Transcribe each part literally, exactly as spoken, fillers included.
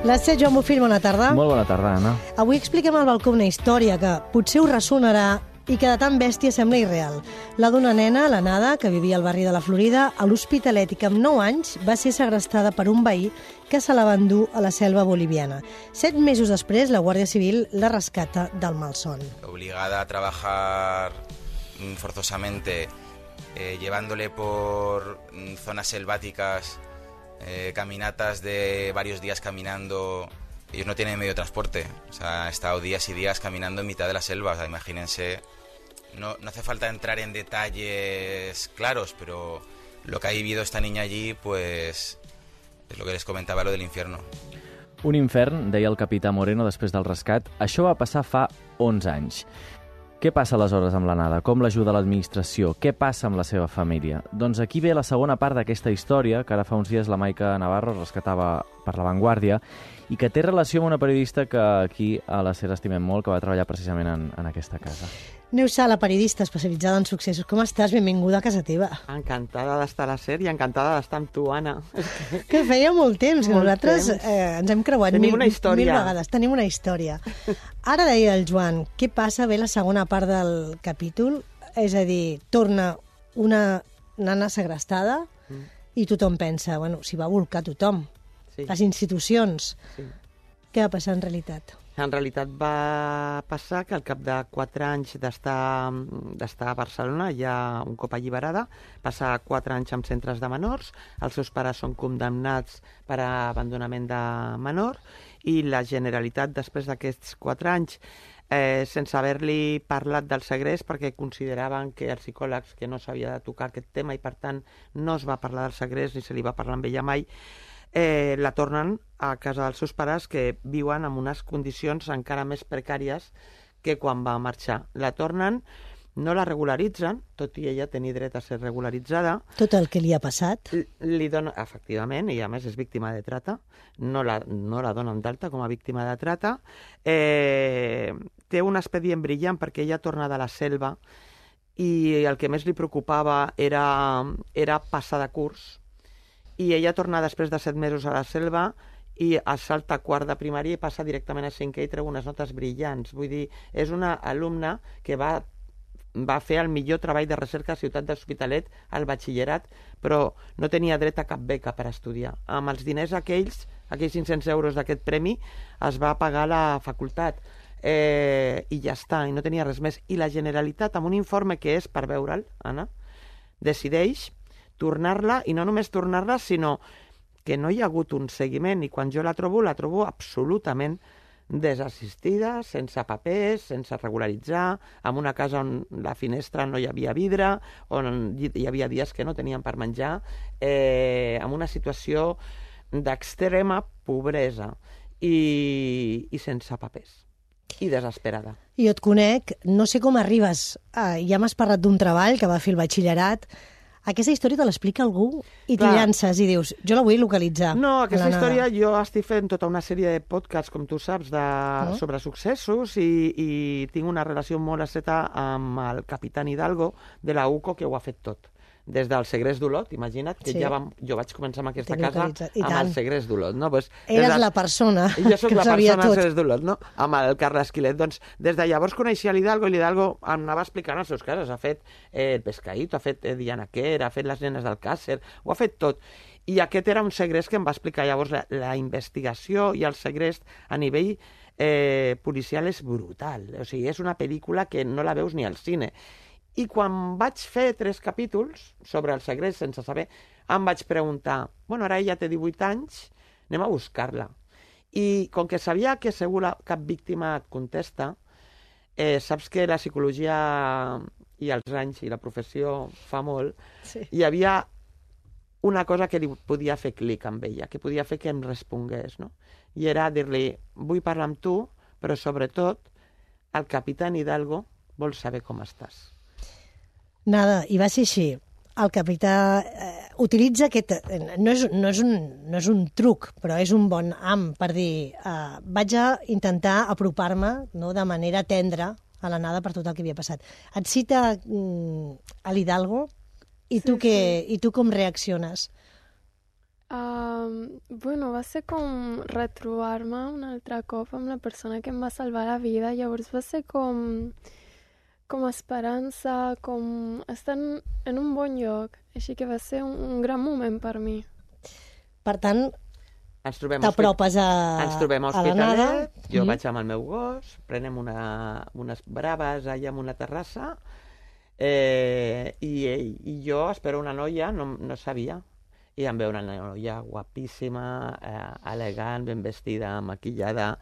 Les set, Joan Bofill, bona tarda. Molt bona tarda, Anna. Avui expliquem al balcó una història que potser us ressonarà i que de tan bèstia sembla irreal. La d'una nena, la Nada, que vivia al barri de la Florida, a l'Hospitalet i que amb nou anys va ser segrestada per un veí que se la va endur a la selva boliviana. Set mesos després, la Guàrdia Civil la rescata del malson. Obligada a trabajar forzosamente, eh, llevándole por zonas selváticas, eh, caminatas de varios días caminando. Ellos no tienen medio de transporte, o sea, han estado días y días caminando en mitad de la selva, o sea, imagínense, no, no hace falta entrar en detalles claros, pero lo que ha vivido esta niña allí, pues, es lo que les comentaba, lo del infierno. Un infern, deia el capità Moreno després del rescat. Això va passar fa onze anys. Què passa aleshores amb la Nada? Com l'ajuda l'administració? Què passa amb la seva família? Doncs aquí ve la segona part d'aquesta història, que ara fa uns dies la Maica Navarro rescatava per La Vanguardia, i que té relació amb una periodista que aquí a la SER estimem molt, que va treballar precisament en, en aquesta casa. Neus Sala, periodista especialitzada en successos. Com estàs? Benvinguda a casa teva. Encantada d'estar a la SER i encantada d'estar amb tu, Anna. Que feia molt temps, que molt nosaltres temps. Eh, ens hem creuat Tenim mil, una història. mil vegades. Tenim una història. Ara deia el Joan, què passa? Ve la segona part del capítol, és a dir, torna una nana segrestada mm. i tothom pensa, bueno, s'hi va volcar tothom. Sí. Les institucions. Sí. Què va passar en realitat? En realitat va passar que al cap de quatre anys d'estar d'estar a Barcelona, ja un cop alliberada, passa quatre anys en centres de menors, els seus pares són condemnats per abandonament de menor i la Generalitat, després d'aquests quatre anys, eh, sense haver-li parlat del segrest, perquè consideraven que els psicòlegs que no s'havia de tocar aquest tema i per tant no es va parlar del segrest ni se li va parlar amb ella mai, Eh, la tornen a casa dels seus pares, que viuen en unes condicions encara més precàries que quan va marxar. La tornen, no la regularitzen, tot i ella tenir dret a ser regularitzada. Tot el que li ha passat. Li dona, efectivament, i a més és víctima de trata, no la, no la donen d'alta com a víctima de trata. Eh, té un expedient brillant perquè ella torna de la selva i el que més li preocupava era, era passar de curs. I ella torna després de set mesos a la selva i salta a quart de primària i passa directament a cinquè i treu unes notes brillants. Vull dir, és una alumna que va, va fer el millor treball de recerca a Ciutat de l'Hospitalet al batxillerat, però no tenia dret a cap beca per estudiar. Amb els diners aquells, aquells cinc-cents euros d'aquest premi, es va pagar la facultat. Eh, I ja està, i no tenia res més. I la Generalitat, amb un informe que és per veure'l, Anna, decideix tornar-la, i no només tornar-la, sinó que no hi ha hagut un seguiment, i quan jo la trobo, la trobo absolutament desassistida, sense papers, sense regularitzar, en una casa on la finestra no hi havia vidre, on hi havia dies que no tenien per menjar, eh, en una situació d'extrema pobresa i, i sense papers, i desesperada. Jo et conec, no sé com arribes, eh, ja m'has parlat d'un treball que va fer el batxillerat. Aquesta història te l'explica algú i t'hi llances i dius, jo la vull localitzar. No, aquesta història jo estic fent tota una sèrie de podcasts, com tu saps, de, oh. sobre successos i, i tinc una relació molt estreta amb el capitán Hidalgo de la U C O, que ho ha fet tot. Des del segrest d'Olot, imagina't, que sí. ja vam, jo vaig començar amb aquesta casa amb el segrest d'Olot. No? Pues, Eres del, la persona jo soc que la sabia persona tot. Segrest d'Olot, no? Amb el Carles Quilet. Doncs des de llavors coneixia l'Hidalgo i l'Hidalgo em anava explicant els seus casos. Ha fet eh, el Pescaíto, ha fet eh, Diana Quer, ha fet les nenes del Càcer, ho ha fet tot. I aquest era un segrest que em va explicar llavors la, la investigació i el segrest a nivell eh, policial és brutal. O sigui, és una pel·lícula que no la veus ni al cine. I quan vaig fer tres capítols sobre el segrest sense saber, em vaig preguntar, bueno, ara ella té divuit anys, anem a buscar-la. I com que sabia que segur la, cap víctima et contesta, eh, saps que la psicologia i els anys i la professió fa molt, sí. Hi havia una cosa que li podia fer clic amb ella, que podia fer que em respongués, no? I era dir-li, vull parlar amb tu, però sobretot el capitán Hidalgo vol saber com estàs. Nada, i va ser així. El capità eh, utilitza aquest... No és, no, és un, no és un truc, però és un bon am per dir eh, vaig a intentar apropar-me, no, de manera tendra a la Nada per tot el que havia passat. Et cita mm, a l'Hidalgo i, sí, tu que, sí. i tu com reacciones? Uh, bueno, va ser com retrobar-me un altre cop amb la persona que em va salvar la vida. Llavors va ser com, com esperança, com estar en, en un bon lloc. Així que va ser un, un gran moment per mi. Per tant, Ens trobem t'apropes a, Ens trobem a a la nada. Hospitalet, jo Mhm. vaig amb el meu gos, prenem una, unes braves allà en una terrassa, eh, i, i jo espero una noia, no, no sabia, i em ve una noia guapíssima, eh, elegant, ben vestida, maquillada.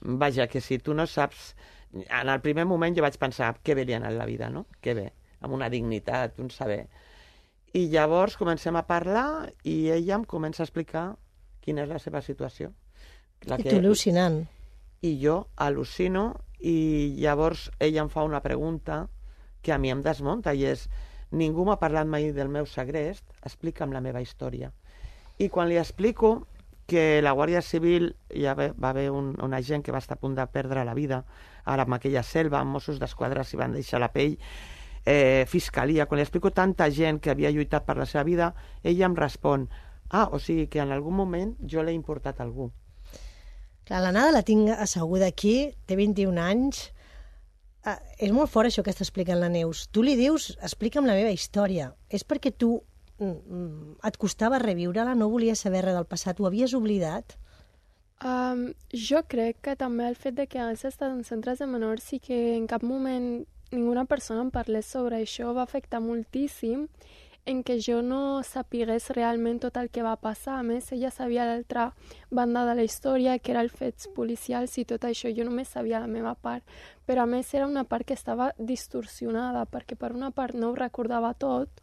Vaja, que si tu no saps... En el primer moment jo vaig pensar, que bé li ha anat la vida, no? Que bé, amb una dignitat, un saber. I llavors comencem a parlar i ella em comença a explicar quina és la seva situació. La I tu al·lucinant. I jo al·lucino i llavors ella em fa una pregunta que a mi em desmunta i és: ningú m'ha parlat mai del meu segrest, explica'm la meva història. I quan li explico que la Guàrdia Civil hi va, va haver un, un agent que va estar a punt de perdre la vida ara amb aquella selva, amb Mossos d'Esquadra s'hi van deixar la pell, eh, Fiscalia, quan li explico tanta gent que havia lluitat per la seva vida, ella em respon: ah, o sigui que en algun moment jo l'he importat a algú. Clar, la Nada la tinc asseguda aquí, té vint-i-un anys. Ah, és molt fort això que està explicant la Neus. Tu li dius, explica'm la meva història. És perquè tu mm, et costava reviure-la, no volies saber res del passat, ho havies oblidat? Um, jo crec que també el fet de que hagués estat en centres de menors i que en cap moment ninguna persona em parlés sobre això va afectar moltíssim en què jo no sapigués realment tot el que va passar. A més, ella sabia l'altra banda de la història, que era els fets policials i tot això. Jo només sabia la meva part. Però, a més, era una part que estava distorsionada, perquè per una part no ho recordava tot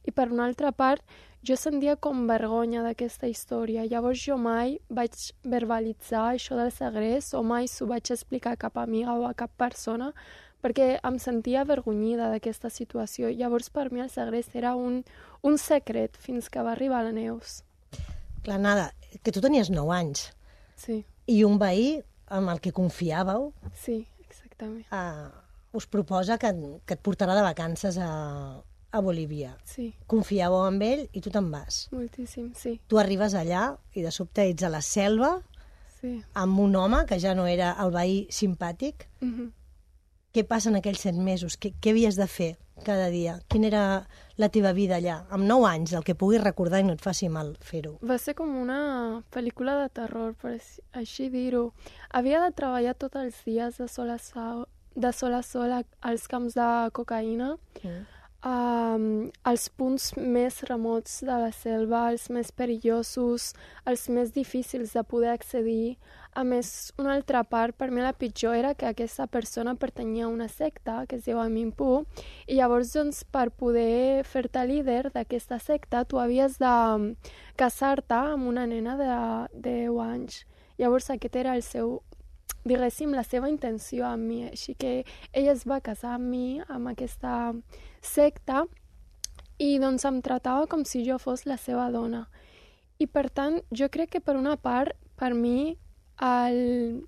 i per una altra part jo sentia com vergonya d'aquesta història. Llavors jo mai vaig verbalitzar això del segrest o mai s'ho vaig explicar a cap amiga o a cap persona, perquè em sentia avergonyida d'aquesta situació. Llavors, per mi, el segrest era un, un secret fins que va arribar la Neus. Clar, Nada, que tu tenies nou anys Sí, i un veí amb el que confiàveu sí, exactament. eh, us proposa que, que et portarà de vacances a, a Bolívia. Sí, Confiàveu en ell i tu te'n vas. moltíssim, sí. Tu arribes allà i de sobte ets a la selva Sí. amb un home que ja no era el veí simpàtic. Mhm. Què passa en aquells set mesos? Què, què havies de fer cada dia? Quina era la teva vida allà? Amb nou anys, el que puguis recordar i no et faci mal fer-ho. Va ser com una pel·lícula de terror, per així- així dir-ho. Havia de treballar tots els dies de sol a sol, de sol a sol a- als camps de cocaïna, Mm. um, als punts més remots de la selva, els més perillosos, els més difícils de poder accedir. A més, una altra part, per mi la pitjor, era que aquesta persona pertanyia a una secta que es diu Aminpu, i llavors, doncs, per poder fer-te líder d'aquesta secta, tu havies de casar-te amb una nena de deu anys. Llavors, aquest era el seu, diguéssim, la seva intenció amb mi. Així que ella es va casar amb mi, amb aquesta secta, i doncs em tratava com si jo fos la seva dona. I per tant, jo crec que per una part, per mi, el...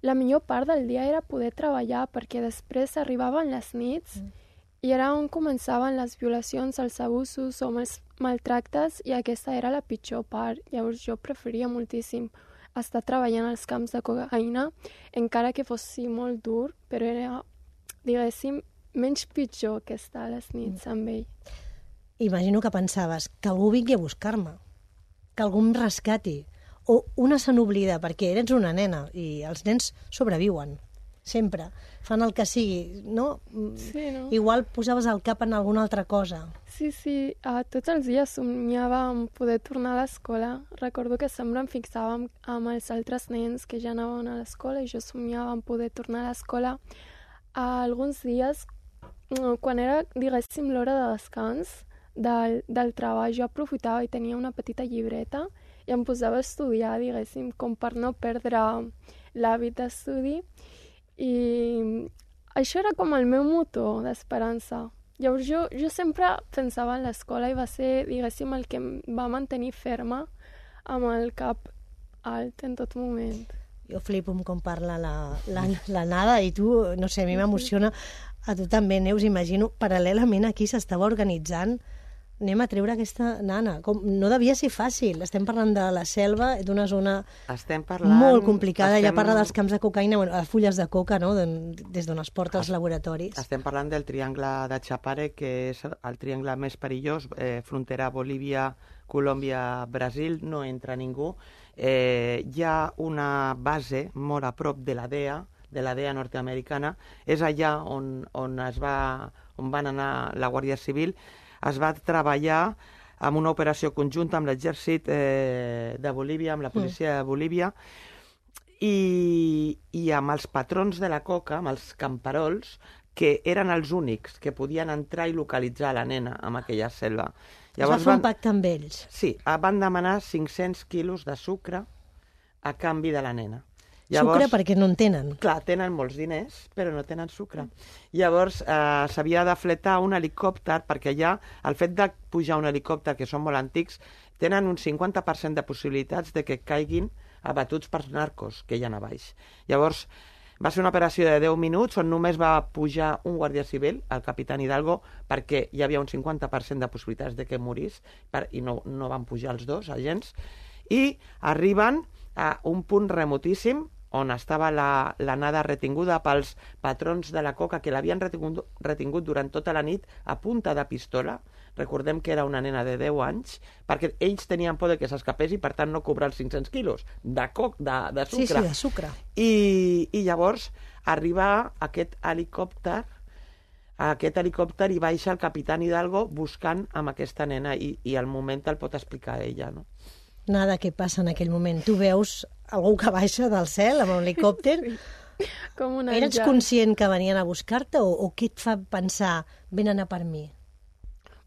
la millor part del dia era poder treballar, perquè després arribaven les nits mm. i era on començaven les violacions, els abusos o els maltractes, i aquesta era la pitjor part. Llavors jo preferia moltíssim estar treballant als camps de cocaïna, encara que fos molt dur, però era, diguéssim, menys pitjor que estar a les nits amb ell. Imagino que pensaves que algú vingui a buscar-me, que algú em rescati, o una se n'oblida, perquè eres una nena i els nens sobreviuen, sempre. Fan el que sigui, no? Sí, no? Igual posaves el cap en alguna altra cosa. Sí, sí, uh, tots els dies somiava en poder tornar a l'escola. Recordo que sempre em fixava amb, amb els altres nens que ja anaven a l'escola i jo somiava en poder tornar a l'escola. Uh, alguns dies, uh, quan era, diguéssim, l'hora de descans del, del treball, jo aprofitava i tenia una petita llibreta i em posava a estudiar, diguéssim, com per no perdre l'hàbit d'estudi. I això era com el meu motor d'esperança. Llavors jo, jo sempre pensava en l'escola i va ser, diguéssim, el que em va mantenir ferma amb el cap alt en tot moment. Jo flipo amb com parla la, la, la Nada i tu, no sé, a mi m'emociona. A tu també, Neus, imagino, paral·lelament aquí s'estava organitzant anem a treure aquesta nana. Com, no devia ser fàcil. Estem parlant de la selva, d'una zona estem parlant, molt complicada. estem... Ja parla dels camps de cocaïna, bueno, fulles de coca, no? Des d'on es porta als laboratoris. Estem parlant del triangle de Chapare, que és el triangle més perillós, eh, frontera Bolívia, Colòmbia, Brasil, no entra ningú. Eh, hi ha una base molt a prop de la D E A, de la D E A nord-americana. És allà on, on, es va, on van anar la Guàrdia Civil. Es va treballar amb una operació conjunta amb l'exèrcit eh, de Bolívia, amb la policia de Bolívia, i, i amb els patrons de la coca, amb els camperols, que eren els únics que podien entrar i localitzar la nena en aquella selva. Llavors, es va fer un pacte amb ells. Sí, van demanar cinc-cents quilos de sucre a canvi de la nena. Llavors, sucre perquè no en tenen. Clar, tenen molts diners, però no tenen sucre. Llavors eh, s'havia de fletar un helicòpter, perquè ja el fet de pujar un helicòpter, que són molt antics, tenen un cinquanta per cent de possibilitats de que caiguin abatuts per narcos que hi ha a baix. Llavors, va ser una operació de deu minuts on només va pujar un guàrdia civil, el capitán Hidalgo, perquè hi havia un cinquanta per cent de possibilitats de que morís, per, i no, no van pujar els dos agents, i arriben a un punt remotíssim on estava la, la nada retinguda pels patrons de la coca, que l'havien retingut, retingut durant tota la nit a punta de pistola. Recordem que era una nena de deu anys, perquè ells tenien por de que s'escapés i, per tant, no cobrar els cinc-cents quilos de, coc, de, de sucre. Sí, sí, de sucre. I, i llavors arriba aquest helicòpter, aquest helicòpter i baixa el capitán Hidalgo buscant amb aquesta nena, i, i al moment el pot explicar ella, no? Nada, què passa en aquell moment? Tu veus algú que baixa del cel amb un helicòpter? Sí, com un Eres àngel. conscient que venien a buscar-te o, o què et fa pensar venen a per mi?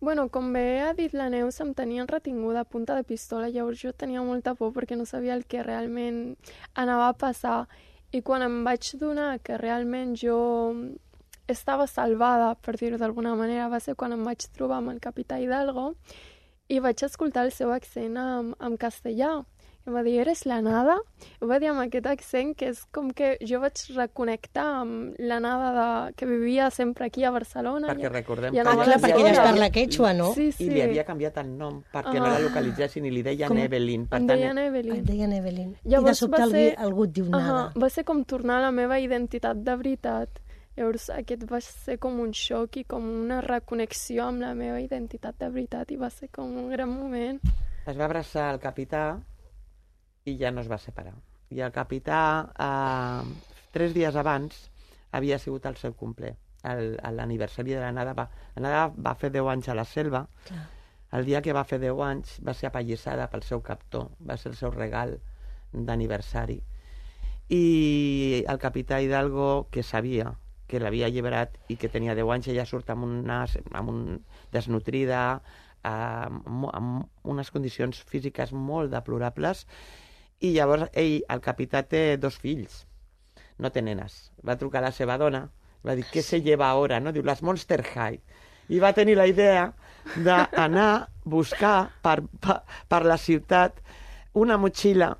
Bueno, com bé ha dit la Neus, em tenien retinguda a punta de pistola, llavors jo tenia molta por perquè no sabia el que realment anava a passar. I quan em vaig donar que realment jo estava salvada, per dir-ho d'alguna manera, va ser quan em vaig trobar amb el capità Hidalgo i vaig escoltar el seu accent en, en castellà. I em va dir, eres la Nada? I ho va dir amb aquest accent que és com que jo vaig reconnectar amb la Nada de, que vivia sempre aquí a Barcelona. Perquè recordem i que... Ah, anava clar, a perquè ella es l'escola. parla quechua, no? Sí, sí. I li havia canviat el nom perquè Ah. no la localitzessin i li deien Com? Evelyn. Per Em tant, deien Evelyn. Et deien Evelyn. Llavors I de sobte va algú, ser- algú et diu nada. Uh-huh. Va ser com tornar a la meva identitat de veritat. Llavors aquest va ser com un xoc i com una reconnexió amb la meva identitat de veritat i va ser com un gran moment. es va abraçar el capità i ja no es va separar. I el capità, eh, tres dies abans, havia sigut el seu cumple, el- l'aniversari de la Nada. Va, la Nada va fer deu anys a la selva. Clar. El dia que va fer deu anys va ser apallissada pel seu captor, va ser el seu regal d'aniversari. I el capità Hidalgo, que sabia que l'havia alliberat i que tenia deu anys, ella surt amb una, amb un desnutrida, amb, amb unes condicions físiques molt deplorables, i llavors ell, el capità, té dos fills, no té nenes. Va trucar a la seva dona, va dir, què se lleva ara? No? Diu, les Monster High. I va tenir la idea d'anar a buscar per, per, per la ciutat una motxilla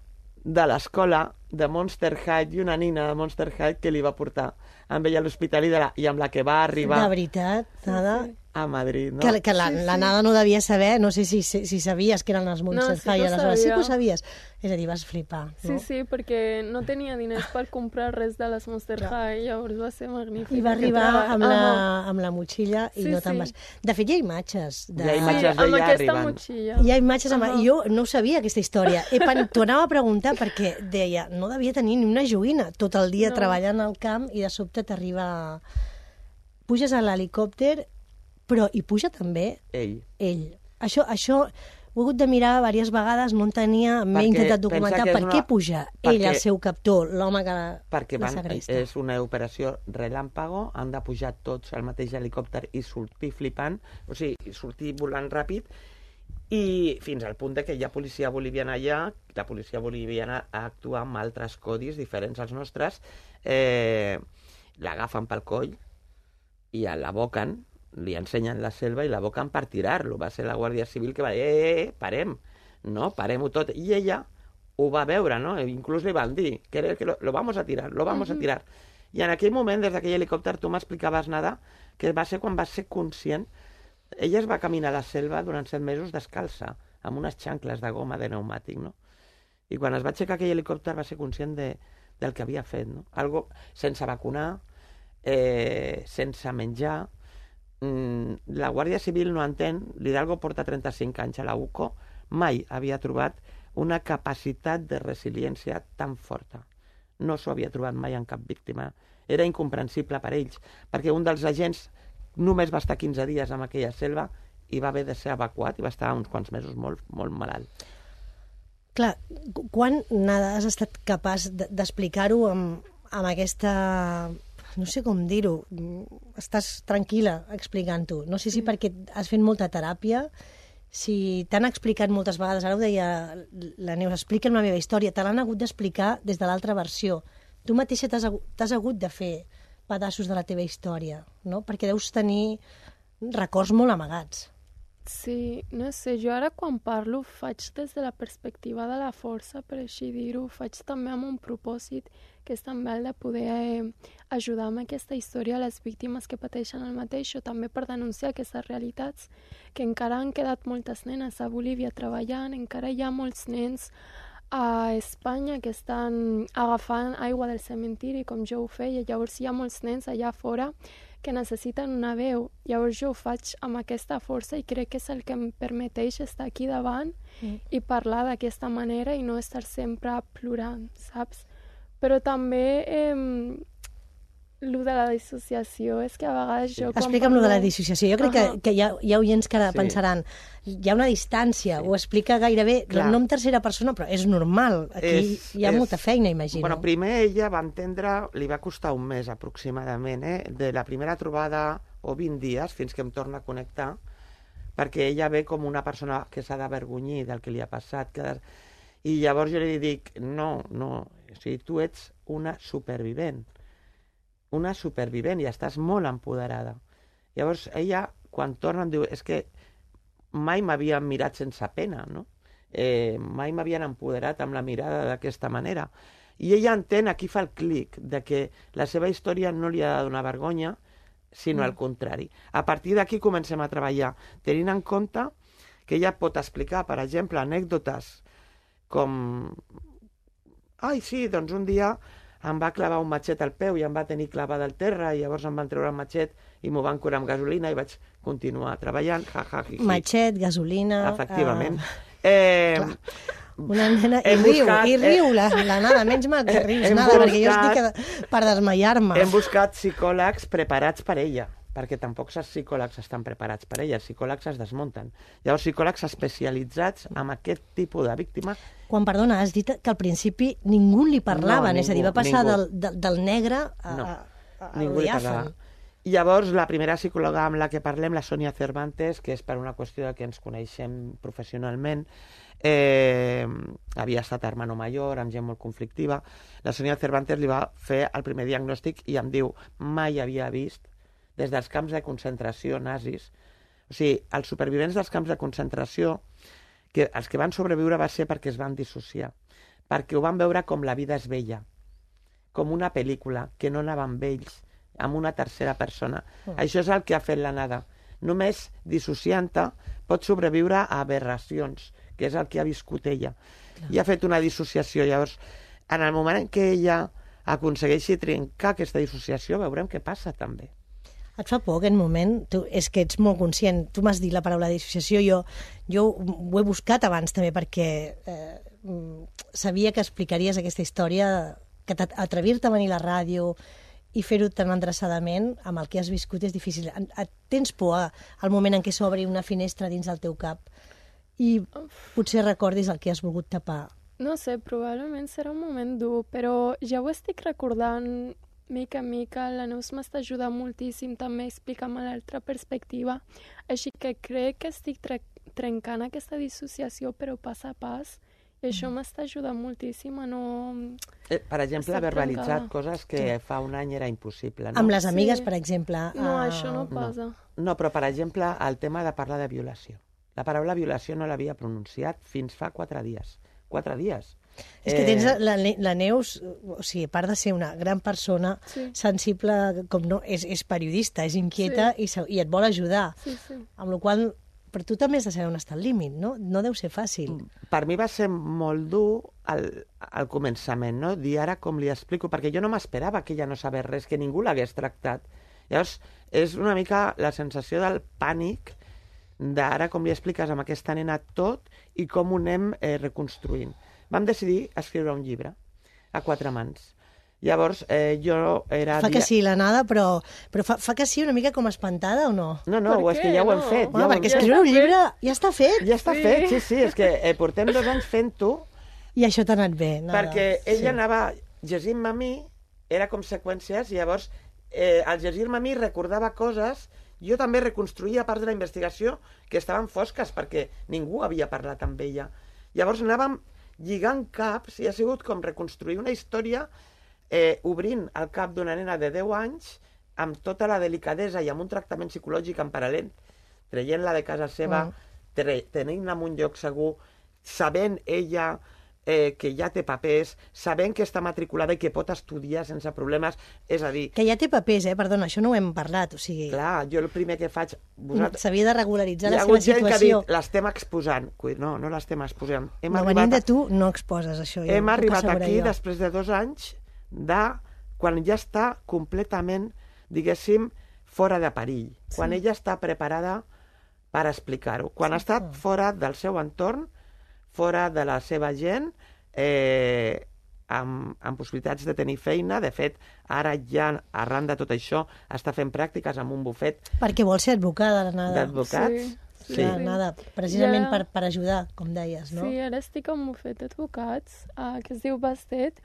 de l'escola de Monster High i una nina de Monster High que li va portar amb ella a l'hospital i, de la, i amb la que va arribar De veritat, nada. Sí, sí. a Madrid. No? Que, que la, Sí, sí. la Nada no devia saber, no sé si, si, si sabies que eren les Monster No, sí que High, ho aleshores sí que ho sabia. sabies. És a dir, vas flipar, Sí, no? sí, perquè no tenia diners per comprar res de les Monster High, llavors va ser magnífic. I va aquest arribar treball. amb la, Ahà. amb la motxilla i Sí, no te'n sí. vas... De fet, hi ha imatges. De... Hi ha imatges Sí, amb d'ella aquesta arribant. motxilla. Hi ha imatges amb... Ahà. Jo no sabia aquesta història. E, T'ho anava a preguntar perquè deia, no devia tenir ni una joguina tot el dia No. treballant al camp i de sobte t'arriba... Puges a l'helicòpter, però hi puja també Ell. ell. Això, això ho he hagut de mirar diverses vegades, no entenia, m'he Perquè intentat pensa documentar que és per una- què puja perquè- ell, el seu captor, l'home que la, Perquè la van, segresta. és una operació relàmpago, han de pujar tots al mateix helicòpter i sortir flipant, o sigui, sortir volant ràpid, i fins al punt de que hi ha policia boliviana allà, la policia boliviana actua amb altres codis diferents als nostres, eh, l'agafen pel coll i l'aboquen, li ensenyen la selva i l'aboquen per tirar-lo. Va ser la Guàrdia Civil que va dir, eh, eh, eh parem, no, parem-ho tot. I ella ho va veure, no? Inclús li van dir que, que lo, lo vamos a tirar, lo vamos uh-huh. a tirar. I en aquell moment, des d'aquell helicòpter, tu m'explicaves, Nada, que va ser quan va ser conscient ella es va caminar a la selva durant set mesos descalça, amb unes xancles de goma de pneumàtic, no? I quan es va aixecar aquell helicòpter va ser conscient de, del que havia fet, no? Algo sense vacunar, eh, sense menjar. Mm, la Guàrdia Civil no entén, l'Hidalgo porta trenta-cinc anys a la U C O, mai havia trobat una capacitat de resiliència tan forta. No s'ho havia trobat mai en cap víctima. Era incomprensible per ells, perquè un dels agents només va estar quinze dies en aquella selva i va haver de ser evacuat i va estar uns quants mesos molt, molt malalt. Clar, quan, Nada, has estat capaç d'explicar-ho amb, amb aquesta... no sé com dir-ho, estàs tranquil·la explicant-ho. No sé si perquè has fet molta teràpia, si t'han explicat moltes vegades, ara ho deia la Neus, explica'm la meva història, te l'han hagut d'explicar des de l'altra versió. Tu mateixa t'has hagut de fer pedaços de la teva història, no? Perquè deus tenir records molt amagats. Sí, no sé, jo ara quan parlo faig des de la perspectiva de la força, per així dir-ho, faig també amb un propòsit que és també el de poder eh, ajudar amb aquesta història a les víctimes que pateixen el mateix, o també per denunciar aquestes realitats, que encara han quedat moltes nenes a Bolívia treballant, encara hi ha molts nens a Espanya que estan agafant aigua del cementiri, com jo ho feia, llavors hi ha molts nens allà fora que necessiten una veu. Llavors jo ho faig amb aquesta força i crec que és el que em permeteix estar aquí davant mm. i parlar d'aquesta manera i no estar sempre plorant, saps? Però també eh, lo de la dissociació és que a vegades jo... Explica'm lo de la dissociació. Jo crec uh -huh. que, que hi, ha, hi ha oients que ara sí. pensaran hi ha una distància, sí. ho explica gairebé Clar. no en tercera persona, però és normal. Aquí és, hi ha és... molta feina, imagino. Bueno, primer ella va entendre, li va costar un mes aproximadament, eh? De la primera trobada o vint dies fins que em torna a connectar, perquè ella ve com una persona que s'ha d'avergonyir del que li ha passat. Que... I llavors jo li dic, no, no, o sigui, tu ets una supervivent. una supervivent i estàs molt empoderada. Llavors ella, quan torna, em diu, és que mai m'havien mirat sense pena, no? Eh, mai m'havien empoderat amb la mirada d'aquesta manera. I ella entén, aquí fa el clic, de que la seva història no li ha de donar vergonya, sinó mm. al contrari. A partir d'aquí comencem a treballar, tenint en compte que ella pot explicar, per exemple, anècdotes com... Ai, sí, doncs un dia em va clavar un matxet al peu i em va tenir clavada al terra i llavors em van treure el matxet i m'ho van curar amb gasolina i vaig continuar treballant. Ja, ja, ja, matxet, gasolina... Efectivament. Uh... Eh... Una nena... I riu, buscat, i riu, eh... la, la Nada, menys mal que rius, Nada, buscat, perquè jo estic per desmaiar-me. Hem buscat psicòlegs preparats per ella, perquè tampoc els psicòlegs estan preparats per ella, els psicòlegs es desmunten. Llavors, psicòlegs especialitzats en aquest tipus de víctima... Quan, perdona, has dit que al principi ningú li parlava, no, és a dir, va passar del, del, del negre a, no, a, a ningú li parlava. Llavors, la primera psicòloga amb la que parlem, la Sònia Cervantes, que és per una qüestió de que ens coneixem professionalment, eh, havia estat hermano mayor, amb gent molt conflictiva, la Sònia Cervantes li va fer el primer diagnòstic i em diu, mai havia vist, des dels camps de concentració nazis, o sigui, els supervivents dels camps de concentració, que els que van sobreviure va ser perquè es van dissociar, perquè ho van veure com la vida és bella, com una pel·lícula, que no anava amb ells, amb una tercera persona. Mm. Això és el que ha fet la Nada. Només dissociant-te pot sobreviure a aberracions, que és el que ha viscut ella. Clar. I ha fet una dissociació. Llavors, en el moment en què ella aconsegueixi trencar aquesta dissociació, veurem què passa també. Et fa por aquest moment? Tu, és que ets molt conscient. Tu m'has dit la paraula dissociació. Jo, jo ho he buscat abans també perquè eh, sabia que explicaries aquesta història, que atrevir-te a venir a la ràdio i fer-ho tan endreçadament amb el que has viscut és difícil. Et tens por al moment en què s'obri una finestra dins del teu cap i potser recordis el que has volgut tapar? No sé, probablement serà un moment dur, però ja ho estic recordant mica en mica. La Neus m'està ajudant moltíssim també a explicar-me l'altra perspectiva, així que crec que estic tre trencant aquesta dissociació però pas a pas, i això m'està ajudant moltíssim a no... Eh, per exemple, ha verbalitzat coses que sí. fa un any era impossible. No? Amb les amigues, sí. per exemple. No, uh... això no passa. No. no, però per exemple, el tema de parlar de violació. La paraula violació no l'havia pronunciat fins fa quatre dies. Quatre dies. És que tens la, la Neus, o sigui, a part de ser una gran persona, sí. sensible, com no, és, és periodista, és inquieta sí. i, i et vol ajudar. Sí, sí. Amb la qual cosa, per tu també has de saber on està el límit, no? No deu ser fàcil. Per mi va ser molt dur al, al començament, no? Dir ara com li explico, perquè jo no m'esperava que ella no sabés res, que ningú l'hagués tractat. Llavors, és una mica la sensació del pànic d'ara com li expliques amb aquesta nena tot i com ho anem eh, reconstruint. Vam decidir escriure un llibre a quatre mans. Llavors, eh, jo era... Fa que sí, la Nada, però, però fa, fa que sí una mica com espantada o no? No, no, és que ja ho hem fet. Bueno, ja perquè escriure un llibre ja està fet. Ja està sí. fet, sí, sí, és que eh, portem dos anys fent-ho. I això t'ha anat bé, Nada. Perquè ella sí. anava llegint-me a mi, era com seqüències, i llavors, eh, al llegir-me a mi recordava coses, jo també reconstruïa part de la investigació que estaven fosques, perquè ningú havia parlat amb ella. Llavors anàvem lligant caps, i ha sigut com reconstruir una història Eh, obrint el cap d'una nena de deu anys amb tota la delicadesa i amb un tractament psicològic en paral·lel, traient-la de casa seva, mm. tenint-la en un lloc segur, sabent ella eh, que ja té papers, sabent que està matriculada i que pot estudiar sense problemes, és a dir... Que ja té papers, eh? Perdona, això no ho hem parlat, o sigui... Clar, jo el primer que faig... Vosaltres... S'havia de regularitzar la seva situació. Hi ha hagut gent que ha dit, l'estem exposant. No, no l'estem exposant. Hem no, venint de tu, no exposes això. Ja hem arribat aquí, jo. Després de dos anys, de quan ja està completament, diguéssim, fora de perill, sí. quan ella està preparada per explicar-ho, quan sí, està sí. fora del seu entorn, fora de la seva gent, eh, amb, amb possibilitats de tenir feina. De fet, ara ja, arran de tot això, està fent pràctiques amb un bufet. Perquè vol ser advocada, la Nada. D'advocats. Sí. Sí. La Nada, precisament ja... per, per ajudar, com deies, no? Sí, ara estic en un bufet d'advocats, uh, que es diu Bastet,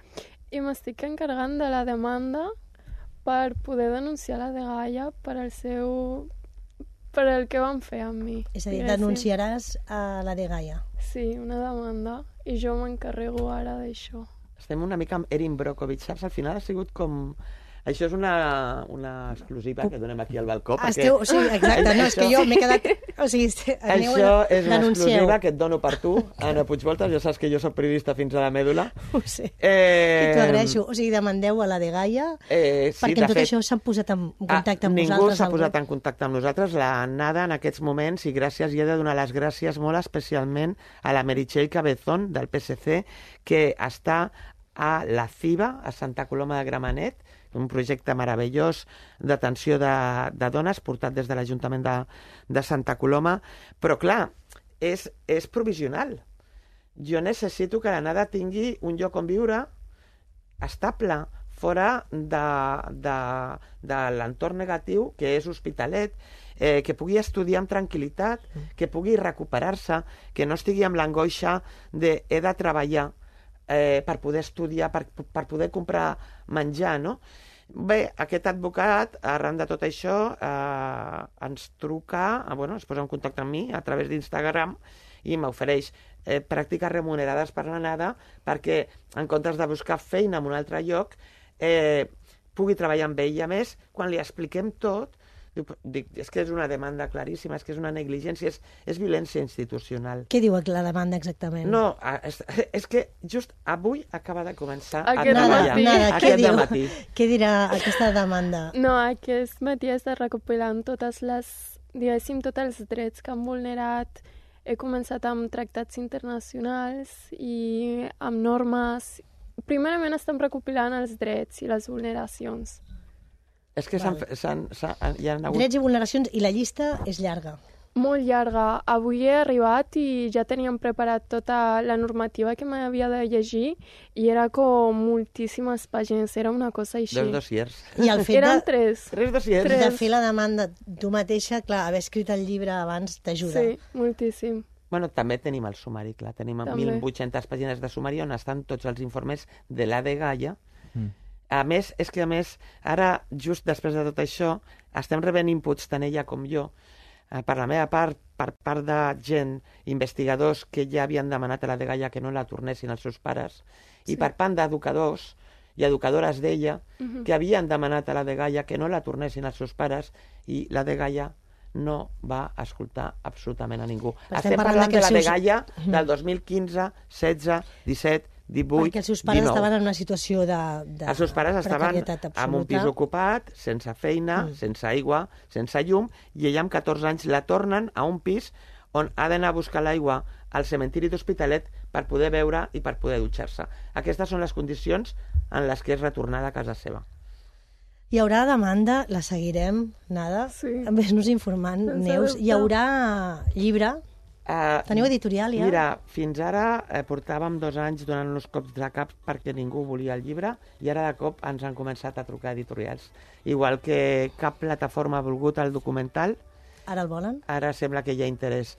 i m'estic encarregant de la demanda per poder denunciar la dgaia per al seu... per el que van fer amb mi. És a dir, denunciaràs a la dgaia. Sí, una demanda, i jo m'encarrego ara d'això. Estem una mica amb Erin Brockovich, saps? Al final ha sigut com... Això és una, una exclusiva que donem aquí al balcó. Ah, esteu, o sigui, exacte, no, és que jo m'he quedat... O sigui, aneu això és una exclusiva que et dono per tu, Anna Puigvoltas, ja saps que jo soc periodista fins a la mèdula. Ho sé, eh... t'ho agraeixo. O sigui, demandeu a la dgaia, eh, sí, perquè en tot fet, això s'han posat en contacte amb ningú vosaltres. Ningú s'ha posat en contacte amb nosaltres. La Nada, en aquests moments, i gràcies, i he de donar les gràcies molt especialment a la Meritxell Cabezón, del P S C, que està a la CIVA, a Santa Coloma de Gramenet, un projecte meravellós d'atenció de, de dones portat des de l'Ajuntament de, de Santa Coloma, però clar, és, és provisional. Jo necessito que la Nada tingui un lloc on viure estable, fora de, de, de l'entorn negatiu que és Hospitalet, eh, que pugui estudiar amb tranquil·litat, que pugui recuperar-se, que no estigui amb l'angoixa de he de treballar eh, per poder estudiar, per, per poder comprar menjar, no? Bé, aquest advocat, arran de tot això, eh, ens truca, eh, bueno, es posa en contacte amb mi a través d'Instagram i m'ofereix eh, pràctiques remunerades per la Nada perquè, en comptes de buscar feina en un altre lloc, eh, pugui treballar amb ell. I a més, quan li expliquem tot, dic, és que és una demanda claríssima, és que és una negligència, és, és violència institucional. Què diu la demanda exactament? No, és, és que just avui acaba de començar aquest a treballar. matí. Nada, aquest què, matí. Què dirà aquesta demanda? No, aquest matí està recopilant totes les, diguéssim, tots els drets que han vulnerat. He començat amb tractats internacionals i amb normes. Primerament estem recopilant els drets i les vulneracions. És que s'han, s'han, s'han, hi ha hagut... Drets i vulneracions, i la llista és llarga. Molt llarga. Avui he arribat i ja teníem preparat tota la normativa que m'havia de llegir i era com moltíssimes pàgines, era una cosa així. Dos dossiers. I el fet Eren de, tres. Tres dossiers. de fer la demanda tu mateixa, clar, haver escrit el llibre abans t'ajuda. Sí, moltíssim. Bueno, també tenim el sumari, clar. Tenim mil vuit-centes pàgines de sumari on estan tots els informes de la dgaia. Mm. A més, és que a més, ara, just després de tot això, estem rebent inputs tant ella com jo, eh, per la meva part, per part de gent, investigadors que ja havien demanat a la dgaia que no la tornessin als seus pares, sí. I per part d'educadors i educadores d'ella, uh-huh. que havien demanat a la dgaia que no la tornessin als seus pares, i la dgaia no va escoltar absolutament a ningú. Estem, Estem parlant, parlant de la dgaia seus... del dos mil quinze, setze, disset, divuit, perquè els seus pares dinou. estaven en una situació de, de Els seus pares estaven precarietat absoluta. en un pis ocupat, sense feina, mm. sense aigua, sense llum, i ella amb catorze anys la tornen a un pis on ha d'anar a buscar l'aigua al cementiri d'Hospitalet per poder beure i per poder dutxar-se. Aquestes són les condicions en les que és retornada a casa seva. Hi haurà demanda, la seguirem, Nada. Sí. Ves-nos informant, Sense Neus. dubte. Hi haurà llibre? Uh, Teniu editorial ja? Mira, fins ara eh, portàvem dos anys donant uns cops de cap perquè ningú volia el llibre i ara de cop ens han començat a trucar editorials. Igual que cap plataforma ha volgut el documental, Ara el volen? ara sembla que hi ha interès.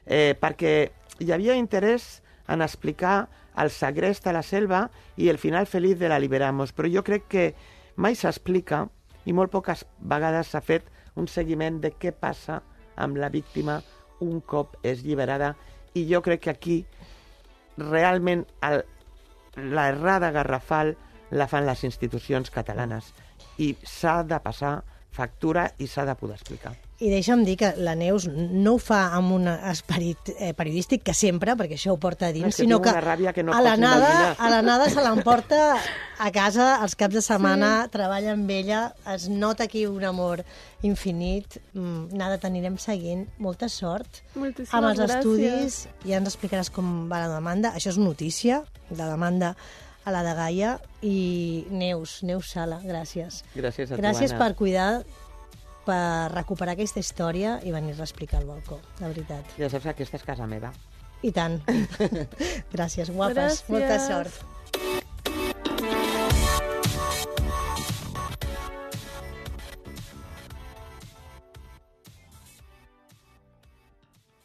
Eh, perquè hi havia interès en explicar el segrest a la selva i el final feliç de la Liberamos, però jo crec que mai s'explica i molt poques vegades s'ha fet un seguiment de què passa amb la víctima un cop és lliberada, i jo crec que aquí realment el, la errada garrafal la fan les institucions catalanes i s'ha de passar factura i s'ha de poder explicar. I deixa'm dir que la Neus no ho fa amb un esperit eh, periodístic, que sempre, perquè això ho porta a dins, És que sinó tinc que una ràbia que no a la pots nada, imaginar. a la nada se l'emporta a casa els caps de setmana, sí. Treballa amb ella, es nota aquí un amor infinit. Mm, Nada, t'anirem seguint. Molta sort. Moltíssimes amb els gràcies. estudis. Ja ens explicaràs com va la demanda. Això és notícia, la demanda a la de Gaia. I Neus, Neus Sala, gràcies. Gràcies a tu, Gràcies Anna. per cuidar, per recuperar aquesta història i venir-la a explicar al balcó, de veritat. Ja saps que aquesta és casa meva. I tant. Gràcies, guapes. Gràcies. Molta sort.